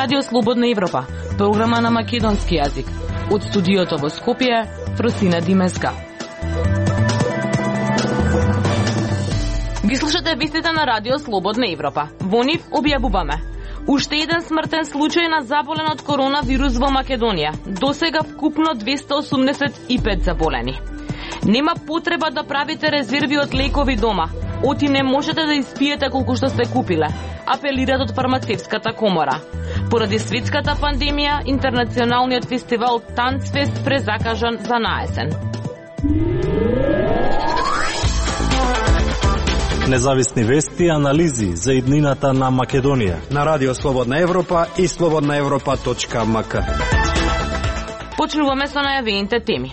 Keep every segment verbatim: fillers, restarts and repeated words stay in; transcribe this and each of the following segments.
Радио Слободна Европа, програма на македонски јазик. Од студиото во Скопје, Фросина Димеска. Ги слушате вестите на Радио Слободна Европа. Во нив објавуваме: уште еден смртен случај на заболен од коронавирус во Македонија. Досега вкупно двесте осумдесет и пет заболени. Нема потреба да правите резерви од лекови дома. Оти не можете да испиете колку што сте купиле, апелират од фармацевската комора. Поради светската пандемија, интернационалниот фестивал Танцфест презакажан за наесен. Независни вести и анализи за иднината на Македонија на Радио Слободна Европа и слободна европа точка ем ка. Почнуваме со најавените теми.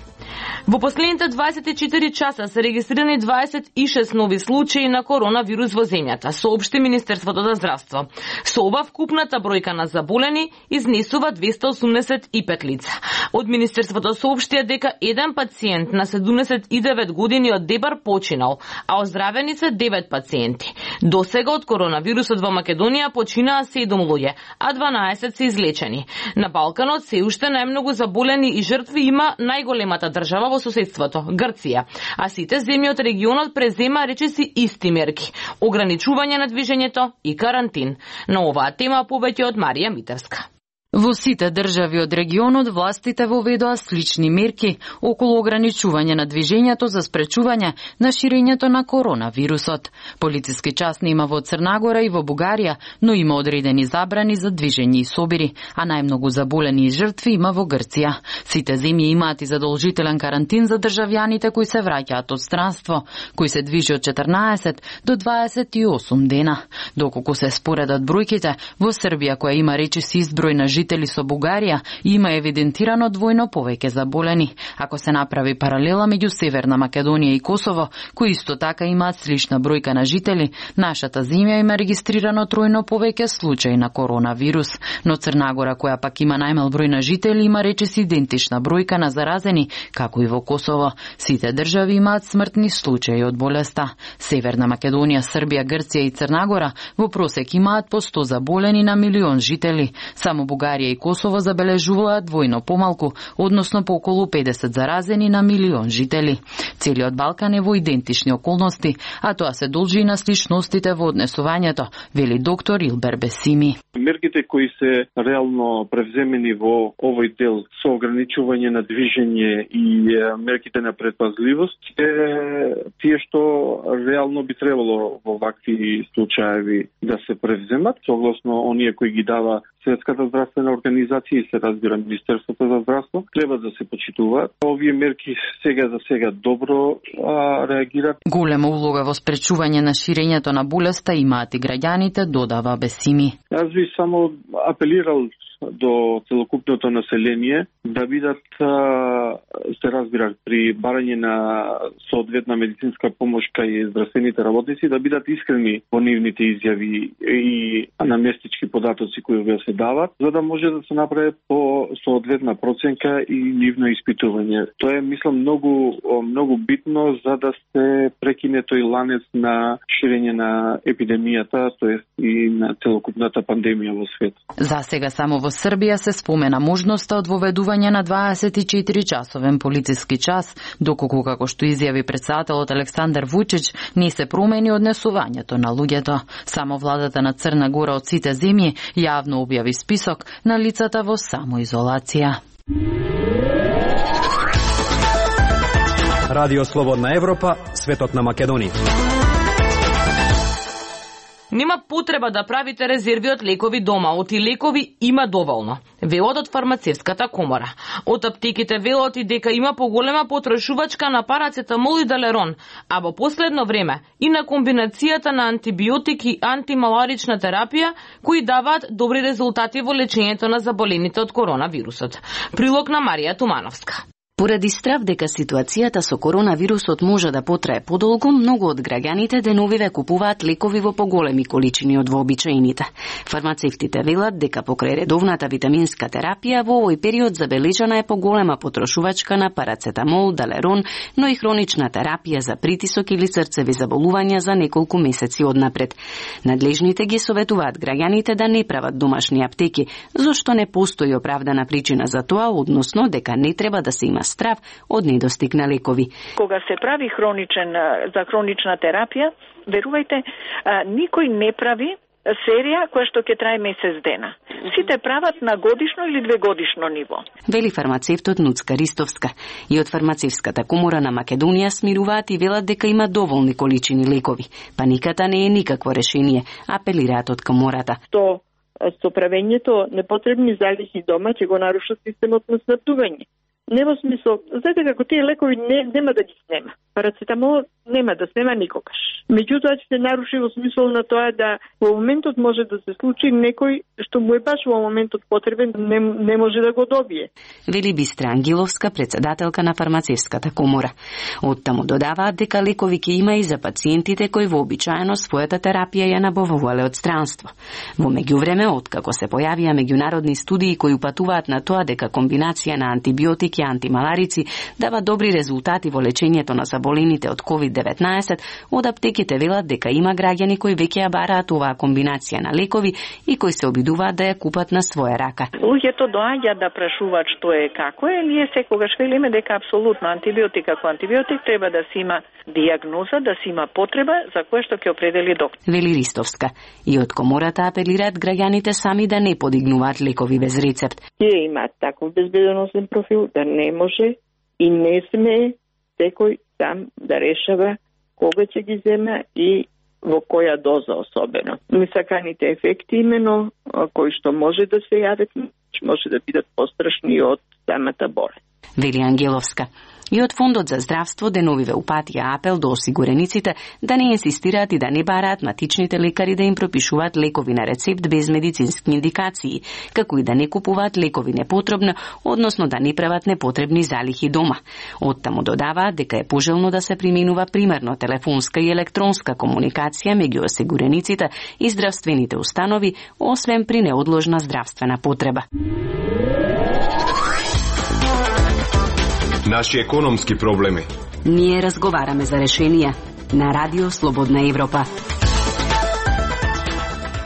Во последните дваесет и четири часа се регистрирани дваесет и шест нови случаи на коронавирус во земјата, соопшти Министерството за здравство. Со ова вкупната бројка на заболени изнесува двесте осумдесет и пет лица. Од Министерството соопштија дека еден пациент на седумдесет и девет години од Дебар починал, а оздравени се девет пациенти. Досега од коронавирусот во Македонија починаа седум луѓе, а дванаесет се излечени. На Балканот се уште најмногу заболени и жртви има најголемата држава во соседството, Грција, а сите земји од регионот презема речиси исти мерки: ограничување на движењето и карантин. На оваа тема повеќе од Марија Митевска. Во сите држави од регионот властите воведоа слични мерки околу ограничување на движењето за спречување на ширењето на коронавирусот. Полициски частни има во Црна Гора и во Бугарија, но има одредени забрани за движење и собири, а најмногу заболени и жртви има во Грција. Сите земји имаат и задолжителен карантин за државјаните кои се враќаат од странство, кои се движи од четрнаесет до дваесет и осум дена. Доколку се споредат бројките, во Србија, која има речиси изброј на жители со Бугарија, има евидентирано двојно повеќе заболени. Ако се направи паралела меѓу Северна Македонија и Косово, кои исто така имаат слична бројка на жители, нашата земја има регистрирано тројно повеќе случаи на коронавирус. Но Црна Гора, која пак има најмал број на жители, има речиси идентична бројка на заразени, како и во Косово. Сите држави имаат смртни случаи од болеста. Северна Македонија, Србија, Грција и Црна Гора во просек имаат по сто заболени на милион жители. Само Бугарија и Косово забележуваат двојно помалку, односно по околу педесет заразени на милион жители. Целиот Балкан е во идентични околности, а тоа се должи и на сличностите во однесувањето, вели доктор Илбер Бесими. Мерките кои се реално превземени во овој дел со ограничување на движење и мерките на предпазливост е тие што реално би требало во вакви случаи да се превземат, согласно оние кои ги дава Светската здравствена организација и се разбира Министерството за здравство, треба да се почитуваат. Овие мерки сега за сега добро а, реагираат. Голема улога во спречување на ширењето на болеста имаат и граѓаните, додава Бесими. Јас би само апелирал до целокупното население да бидат, се разбира, при барање на соодветна медицинска помош кај здравствените работници, да бидат искрени во нивните изјави и наместички податоци кои ве се дават, за да може да се направи по соодветна проценка и нивно испитување. Тоа е, мислам, многу многу битно за да се прекине тој ланец на ширење на епидемијата, тоест и на целокупната пандемија во свет. За сега само во Србија се спомена можноста од воведување на дваесет и четири часовен полициски час, доколку, како што изјави претседателот Александар Вучич, не се промени однесувањето на луѓето. Само владата на Црна Гора од сите земји јавно објави список на лицата во самоизолација. Радио Слободна Европа, светот на Македонија. Нема потреба да правите резерви од лекови дома, оти лекови има доволно, велат од фармацевската комора. Од аптеките велат и дека има поголема потрошувачка на парацетамол и далерон, а во последно време и на комбинацијата на антибиотик и антималарична терапија, кои даваат добри резултати во лечењето на заболените од коронавирусот. Прилог на Марија Тумановска. Поради страв дека ситуацијата со коронавирусот може да потрае подолго, многу од граѓаните деновиве купуваат лекови во поголеми количини од вообичаените. Фармацевтите велат дека покрај редовната витаминска терапија во овој период забележана е поголема потрошувачка на парацетамол, далерон, но и хронична терапија за притисок или срцеви заболувања за неколку месеци однапред. Надлежните ги советуваат граѓаните да не прават домашни аптеки, зашто не постои оправдана причина за тоа, односно дека не треба да се има страв од недостиг на лекови. Кога се прави хроничен за хронична терапија, верувајте, никој не прави серија која што ќе трае месец дена. Сите прават на годишно или двегодишно ниво. Вели фармацевтот Нуцка Ристовска. И од фармацевската комора на Македонија смируваат и велат дека има доволни количини лекови. Паниката не е никакво решение, апелираат од комората. То со правењето непотребни залихи дома ќе го нарушат системот на снабдување. Не во смисол, знаете како тие лекови не, нема да ги снема. Парацетамол нема да снема никогаш. Меѓутоа ќе се наруши во смисол на тоа да во моментот може да се случи некој што му е баш во моментот потребен, не, не може да го добие. Вели Бистра Ангеловска, председателка на фармацевската комора. Оттаму додаваат дека лекови ќе има и за пациентите кои вообичаено својата терапија ја набавувале од странство. Во меѓувреме, откако се појавија меѓународни студии кои упатуваат на тоа дека комбинација на антибиотики и антималарици дава добри резултати во лечењето на заболените од ковид деветнаесет, од аптеките велат дека има граѓани кои веќе ја бараат оваа комбинација на лекови и кои се обидуваат да ја купат на своја рака. Луѓето доаѓаат да прашуваат што е како е, ние секогаш велиме дека апсолутно антибиотик како антибиотик треба да се има дијагноза, да се има потреба за која што ќе определи доктор. Вели Ристовска. И од комората апелираат граѓаните сами да не подигнуваат лекови без рецепт. Тие имаат таков безбедносен профил да не може и не сме секој сам да решава кога ќе ги зема и во која доза особено. Несаканите ефекти имено кои што може да се јават, може да бидат пострашни од самата болест. Вели Ангеловска. И од Фондот за здравство деновиве упатија апел до осигурениците да не инсистираат и да не бараат матичните лекари да им пропишуваат лекови на рецепт без медицински индикации, како и да не купуваат лекови непотребно, односно да не прават непотребни залихи дома. Оттаму додаваат дека е пожелно да се применува примерно телефонска и електронска комуникација меѓу осигурениците и здравствените установи, освен при неодложна здравствена потреба. Наши економски проблеми. Ние разговараме за решенија на Радио Слободна Европа.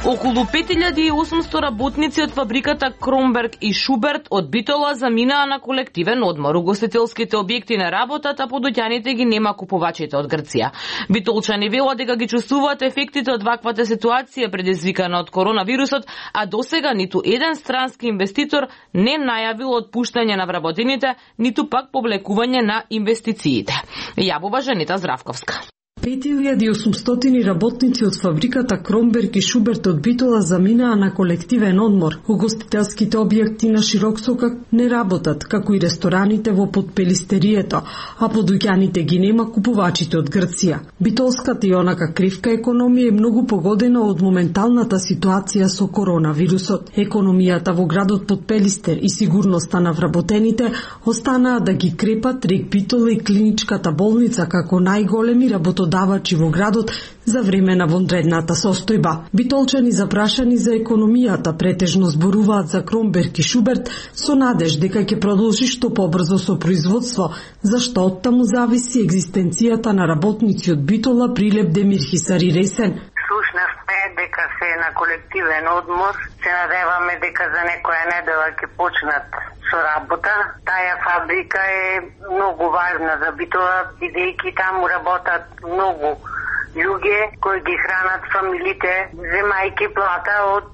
Околу пет илјади и осумсто работници од фабриката Кромберг и Шуберт од Битола заминаа на колективен одмор. Угостителските објекти не работат, а подоќаните ги нема купувачите од Грција. Битолчани велат дека ги чувствуваат ефектите од ваквата ситуација предизвикана од коронавирусот, а досега ниту еден странски инвеститор не најавил отпуштање на вработените, ниту пак повлекување на инвестициите. Јавува Жанета Здравковска. пет илјади и осумстотини работници од фабриката Кромберг и Шуберт од Битола заминаа на колективен одмор. Угостителските објекти на Широксокак не работат, како и рестораните во Подпелистерието, а подуќаните ги нема купувачите од Грција. Битолската и онака кривка економија е многу погодена од моменталната ситуација со коронавирусот. Економијата во градот Подпелистер и сигурноста на вработените останаа да ги крепат рек Битола и клиничката болница како најголеми работодавачи давачи во градот за време на вонредната состојба. Битолчани запрашани за економијата претежно зборуваат за Кромберг и Шуберт со надеж дека ќе продолжи што побрзо со производство, зашто од таму зависи екзистенцијата на работници од Битола, Прилеп, Демир, Хисари, Ресен. Сушност е дека се на колективен одмор, се надеваме дека за некоја недела ќе почнат со работа. Таа фабрика е многу важна за Битола, бидејќи таму работат многу луѓе кои ги хранат фамилите, земајќи плата од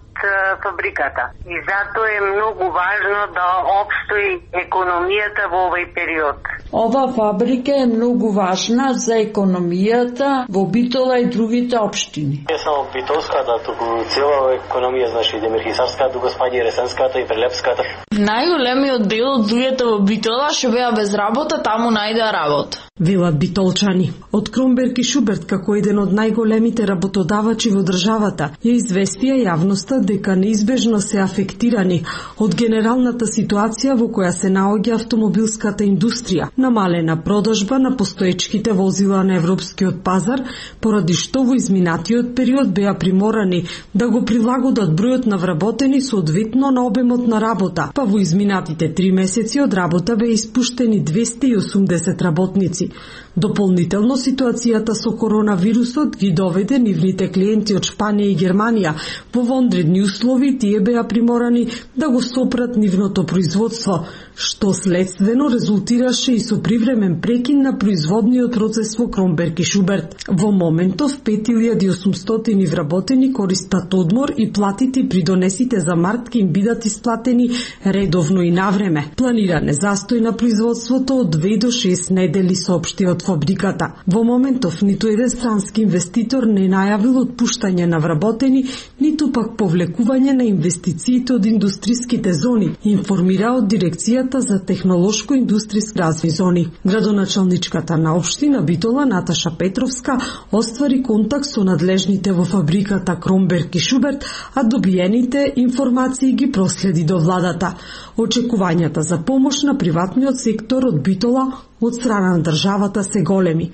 фабриката. И затоа е многу важно да обстои економијата во овој период. Ова фабрика е многу важна за економијата во Битола и другите општини. Не само битолската, туку цела економија, значи Демирхисарската, го спаѓа Ресенската и Прилепската. Најголемиот дел од луѓето во Битола што беа без работа, таму најдоа работа. велат битолчани. Од Кромберг и Шуберт, како еден од најголемите работодавачи во државата, ја известија јавноста дека неизбежно се афектирани од генералната ситуација во која се наоѓа автомобилската индустрија, намалена продажба на постоечките возила на европскиот пазар, поради што во изминатиот период беа приморани да го прилагодат бројот на вработени соодветно на обемот на работа, па во изминатите три месеци од работа беа испуштени двесте и осумдесет работници. Дополнително, ситуацијата со коронавирусот ги доведе нивните клиенти од Шпанија и Германија во вонредни услови, тие беа приморани да го сопрат нивното производство, што следствено резултираше и со привремен прекин на производниот процес во Кромберг и Шуберт. Во моментов пет илјади и осумстотини вработени користат одмор и платите при донесите за март ќе им бидат исплатени редовно и навреме. Планиран е застој на производството од две до шест недели, соопшти од фабриката. Во моментов ниту еден странски инвеститор не најавил отпуштање на вработени, ниту пак повлекување на инвестициите од индустриските зони, информира од Дирекцијата за технолошко-индустријски развој зони. Градоначалничката на општина Битола Наташа Петровска оствари контакт со надлежните во фабриката Кромберг и Шуберт, а добиените информации ги проследи до владата. Очекувањата за помош на приватниот сектор од Битола од страна на државата се големи.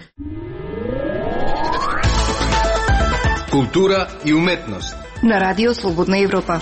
Култура и уметност на Радио Слободна Европа.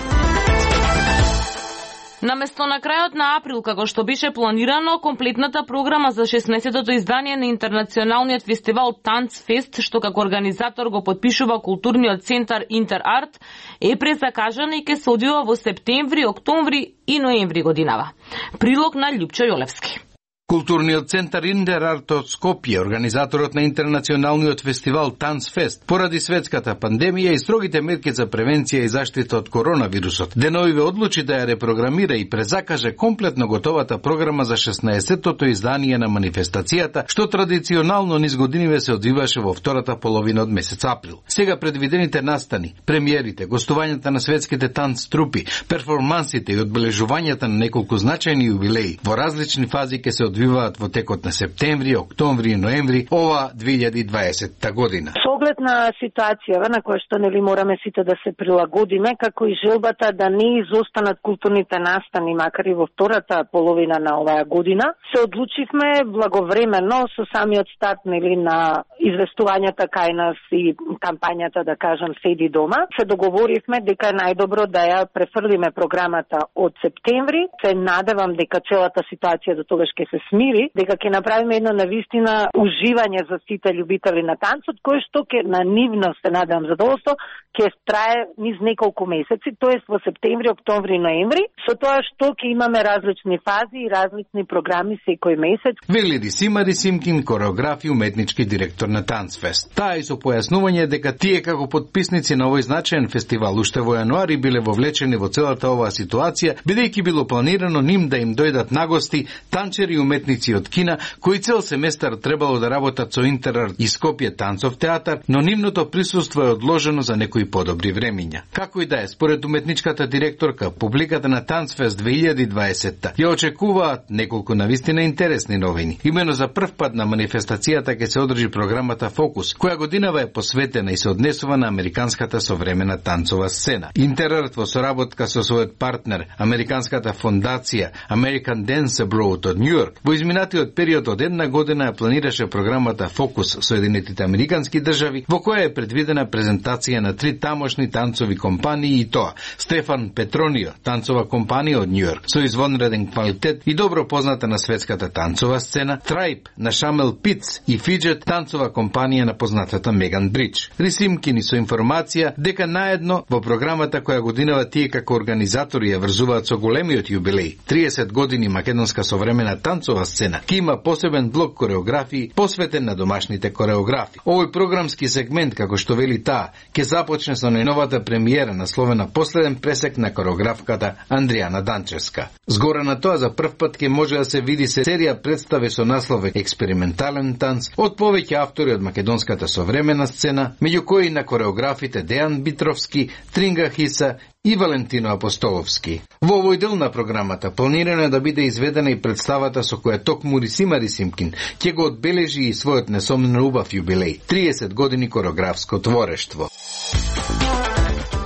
Наместо на крајот на април, како што беше планирано, комплетната програма за шеснаесеттото издание на интернационалниот фестивал Танцфест, што како организатор го подпишува културниот центар Интерарт, е презакажана и ќе се одвива во септември, октомври и ноември годинава. Прилог на Љупчо Јолевски. Културниот центар Интерарт од Скопје, организаторот на интернационалниот фестивал Танцфест, поради светската пандемија и строгите мерки за превенција и заштита од коронавирусот, деновиве одлучи да ја репрограмира и презакаже комплетно готовата програма за шеснаесеттото издание на манифестацијата, што традиционално низ годиниве се одвиваше во втората половина од месец април. Сега предвидените настани, премиерите, гостувањата на светските танц трупи, перформансите и одбележувањата на неколку значајни јубилеи во различни фази ќе се одвиваат во текот на септември, октомври и ноември ова две илјади и дваесетта година. Со оглед на ситуацијава на која што нели мораме сите да се прилагодиме, како и желбата да не изостанат културните настани, макар и во втората половина на оваа година, се одлучивме благовремено со самиот старт нели на известувањата кај нас и кампањата, да кажам, Седи дома. Се договоривме дека е најдобро да ја префрлиме програмата од септември. Се надевам дека целата ситуација до тогаш ќе се смири, дека ќе направиме едно навистина уживање за сите љубители на танцот, кој што ќе на нивно, се надевам задоволство, ќе трае низ неколку месеци, тоест во септември, октомври и ноември, со тоа што ќе имаме различни фази и различни програми секој месец. Вели Рисима Рисимкин, кореограф и уметнички директор на Танцфест. Таа и со појаснување дека тие како подписници на овој значаен фестивал уште во јануари биле вовлечени во целата оваа ситуација, бидејќи било планирано ним да им дојдат нагости танчери и уметници од Кина, кои цел семестар требало да работат со Интерарт и Скопје танцов театар, но нивното присуство е одложено за некои подобри времиња. Како и да е, според уметничката директорка, публиката на Танцфест две илјади и дваесетта ја очекуваат неколку навистина интересни новини. Имено за прв пат на манифестацијата ќе се одржи програмата Фокус, која годинава е посветена и се однесува на американската современа танцова сцена. Интерарт во соработка со својот партнер, американската фондација American Dance Abroad од Њујорк, во изминатиот период од една година ја планираше програмата Фокус со Соединетите американски држави, во која е предвидена презентација на три тамошни танцови компании и тоа Стефан Петронио, танцова компанија од Њујорк, со извонреден квалитет и добро позната на светската танцова сцена, Tribe на Шамел Питс и Фиджет, танцова компанија на познатата Меган Бридж. Рисимкини со информација дека наедно во програмата која годинава тие како организатори ја врзуваат со големиот јубилеј триесет години македонска современа танцова сцена, ки има посебен блок кореографии посветен на домашните кореографи. Овој програмски сегмент, како што вели таа, ќе започне со најновата премиера насловена Последен пресек на кореографката Андријана Данчевска. Згора на тоа, за прв пат ќе може да се види серија представи со наслов Експериментален танц од повеќе автори од македонската современа сцена, меѓу кои на кореографите Дејан Битровски, Тринга Хиса и Валентино Апостоловски. Во овој дел на програмата планирано е да биде изведена и представата со која токму Рисима Рисимкин ќе го одбележи и својот несомнено убав јубилеј – триесет години коreografско творештво.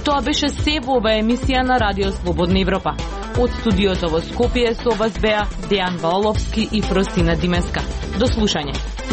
Тоа беше се во оваа емисија на Радио Слободна Европа. Од студиото во Скопје со вас беа Дејан Валовски и Фросина Димеска. До слушање.